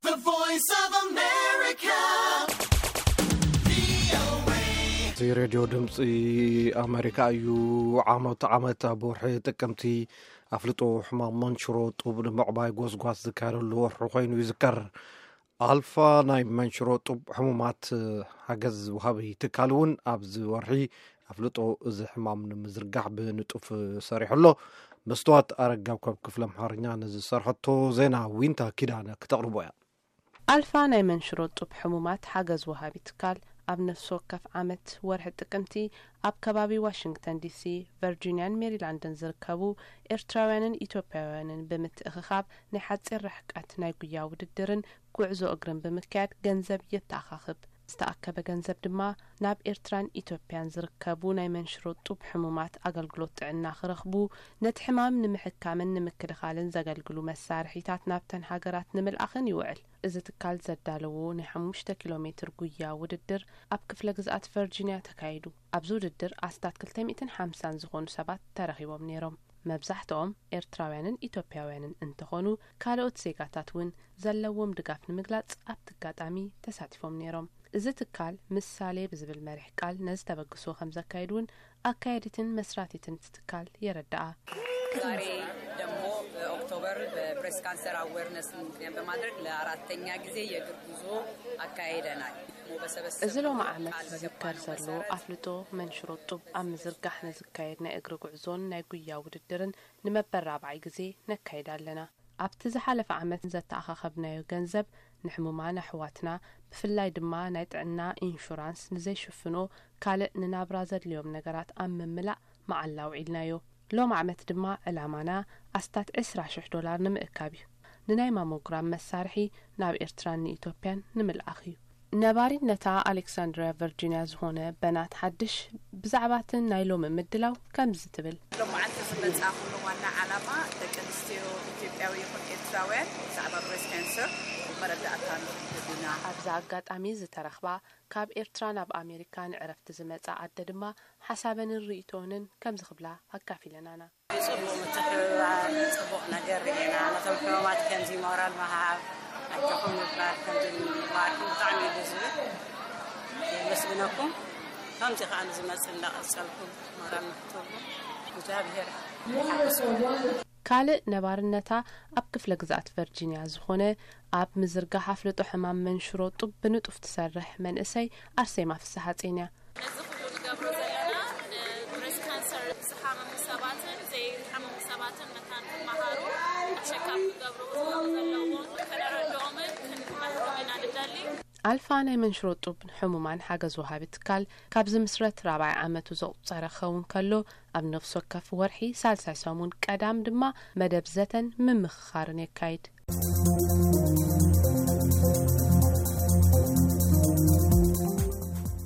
The Voice of America. እዚ ሬድዮ ድምፂ ኣሜሪካ እዩ። ዓመት ዓመት ኣብ ወርሒ ጥቅምቲ ኣፍልጦ ሕማም መንሽሮ ጡብ ንምዕባይ ጎስጓስ ዝካየደሉ ወርሒ ኮይኑ ይዝከር። ኣልፋ ናይ መንሽሮ ጡብ ሕሙማት ሓገዝ ወሃቢ ትካል እውን ኣብዚ ወርሒ ኣፍልጦ እዚ ሕማም ንምዝርጋሕ ብንጡፍ ሰሪሑ ኣሎ። መስትዋት ኣረጋብ ካብ ክፍለ ኣምሓርኛ ንዝሰርሐቶ ዜና ዊንታ ኪዳነ ክተቕርቦ እያ። ኣልፋ ናይ መንሽሮ ጡብ ሕሙማት ሓገዝ ወሃቢ ትካል ኣብ ነፍሲ ወከፍ ዓመት ወርሒ ጥቅምቲ ኣብ ከባቢ ዋሽንግተን ዲሲ፣ ቨርጂኒያን ሜሪላንድን ዝርከቡ ኤርትራውያንን ኢትዮጵያውያንን ብምትእኽኻብ ናይ ሓጺር ርሕቀት ናይ ጉያ ውድድርን ጉዕዞ እግርን ብምክያድ ገንዘብ የተኣኻኽብ። ዝተኣከበ ገንዘብ ድማ ናብ ኤርትራን ኢትዮጵያን ዝርከቡ ናይ መንሽሮ ጡብ ሕሙማት ኣገልግሎት ጥዕና ክረኽቡ፣ ነቲ ሕማም ንምሕካምን ንምክልኻልን ዘገልግሉ መሳርሒታት ናብተን ሃገራት ንምልኣኽን ይውዕል። እዚ ትካል ዘዳለዎ ናይ ሓሙሽተ ኪሎ ሜትር ጉያ ውድድር ኣብ ክፍለ ግዝኣት ቨርጂንያ ተካይዱ። ኣብዚ ውድድር ኣስታት ክልተ ሚእትን ሓምሳን ዝኾኑ ሰባት ተረኺቦም ነይሮም። መብዛሕትኦም ኤርትራውያንን ኢትዮጵያውያንን እንተኾኑ፣ ካልኦት ዜጋታት እውን ዘለዎም ድጋፍ ንምግላጽ ኣብቲ ኣጋጣሚ ተሳቲፎም ነይሮም። እዚ ትካል ምሳሌ ብዝብል መሪሕ ቃል ነዚ ተበግሶ ከም ዘካየዱ እውን ኣካየዲትን መስራቲትን እቲ ትካል የረድኣ። ዛሬ ደግሞ በኦክቶበር በብሬስት ካንሰር አዌርነስ ምክንያት በማድረግ ለአራተኛ ጊዜ የእግር ጉዞ አካሂደናል። በሰበሰብነው እዚ ሎሚ ዓመት ቃል ዝዝከር በገባነው ዘሎ መሰረት ኣፍልጦ መንሽሮ ጡብ ኣብ ምዝርጋሕ ንዝካየድ ናይ እግሪ ጉዕዞን ናይ ጉያ ውድድርን ንመበል ራብዓይ ግዜ ነካይድ ኣለና። ኣብቲ ዝሓለፈ ዓመት ዘተኣኻኸብናዮ ገንዘብ ንሕሙማን ኣሕዋትና፣ ብፍላይ ድማ ናይ ጥዕና ኢንሹራንስ ንዘይሽፍኖ ካልእ ንናብራ ዘድልዮም ነገራት ኣብ ምምላእ መዓላ ኣውዒልናዮ። ሎም ዓመት ድማ ዕላማና ኣስታት ዕስራ ሽሕ ዶላር ንምእካብ እዩ። ንናይ ማሞግራም መሳርሒ ናብ ኤርትራን ንኢትዮጵያን ንምልኣኽ እዩ። ነባሪነታ ኣሌክሳንድሪያ ቨርጂንያ ዝኾነ በናት ሓድሽ ብዛዕባ እቲ ናይ ሎሚ ምድላው ከምዚ ትብል። ሎማዓንቲ ዝመጻኹሉ ዋና ዓላማ ደቂ ኣንስትዮ ኢትዮጵያዊ ይኹን ኤርትራውያን ብዛዕባ ብሬስት ካንሰር መረዳእታ ንክህብ ኢና። ኣብዚ ኣጋጣሚ ዝተረኽባ ካብ ኤርትራ ናብ ኣሜሪካ ንዕረፍቲ ዝመጻ ኣደ ድማ ሓሳበንን ርእይቶንን ከምዚ ክብላ ኣካፊለናና። ጽቡቕ ምትሕብባር ጽቡቕ ነገር ርኢና። ነቶም ሕሙማት ከምዚ ሞራል ምሃብ፣ ኣጆኹም ምባል፣ ከምዚ ምባልኩም ብጣዕሚ እዩ ደስ ዝብል። የመስግነኩም። ከምዚ ከኣ ንዝመጽእ እንዳቐጸልኩም ሞራል ንክትህቡ እግዚኣብሔር ይሓግዝኩም። ካልእ ነባርነታ ኣብ ክፍለ ግዝኣት ቨርጂንያ ዝኾነ ኣብ ምዝርጋሕ ኣፍልጦ ሕማም መንሽሮ ጡብ ብንጡፍ ትሰርሕ መንእሰይ ኣርሴማ ፍስሓጼን እያ። እዚ ኩሉ ንገብሮ ዘለና ንብሬስት ካንሰር ዝሓመሙ ሰባትን ዘይሓመሙ ሰባትን መታን ክመሃሩ፣ ቸካፕ ክገብሩ ዘለዎም ከነረድኦምን ክንመክሮም ኢና ንደሊ። ኣልፋ ናይ መንሽሮ ጡብ ሕሙማን ሓገዝ ወሃቢ ትካል ካብ ዝምስረት ራብዓይ ዓመቱ ዘቑጸረ ክኸውን ከሎ፣ ኣብ ነፍሲ ወከፍ ወርሒ ሳልሳይ ሰሙን ቀዳም ድማ መደብ ዘተን ምምኽኻርን የካይድ።